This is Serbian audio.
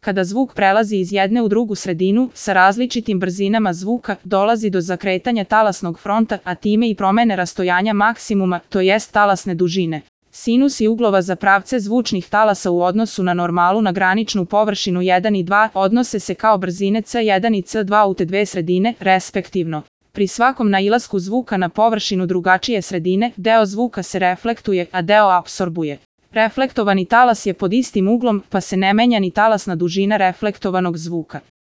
Kada zvuk prelazi iz jedne u drugu sredinu, sa različitim brzinama zvuka, dolazi do zakretanja talasnog fronta, a time i promene rastojanja maksimuma, to jest talasne dužine. Sinusi uglova za pravce zvučnih talasa u odnosu na normalu na graničnu površinu 1 i 2 odnose se kao brzine C1 i C2 u te dve sredine, respektivno. Pri svakom nailasku zvuka na površinu drugačije sredine, deo zvuka se reflektuje, a deo apsorbuje. Reflektovani talas je pod istim uglom, pa se ne menja ni talasna dužina reflektovanog zvuka.